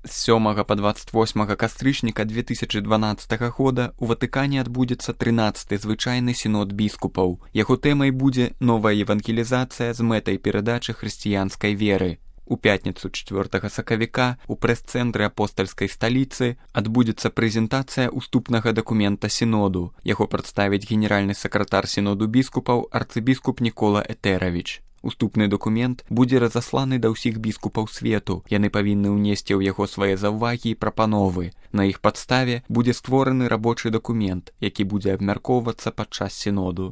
З 7 па 28 кастрычніка 2012 года у Ватыкане адбудзецца 13-й звычайны сінод біскупаў. Яго тэмай будзе новая евангелізацыя з мэтай перадачы хрысціянскай веры. У пятніцу 4 сакавіка у прэс-цэнтры апостальскай сталіцы адбудзецца прэзентацыя уступнага дакумента сіноду. Яго прадставіць генеральны сакратар сіноду біскупаў арцыбіскуп Нікола Этэравіч. Уступны дакумент будзе разасланы да ўсіх біскупаў свету. Яны павінны ўнесці ў яго свае заўвагі і прапановы. На іх падставе будзе створаны рабочы дакумент, які будзе абмяркоўвацца падчас сіноду.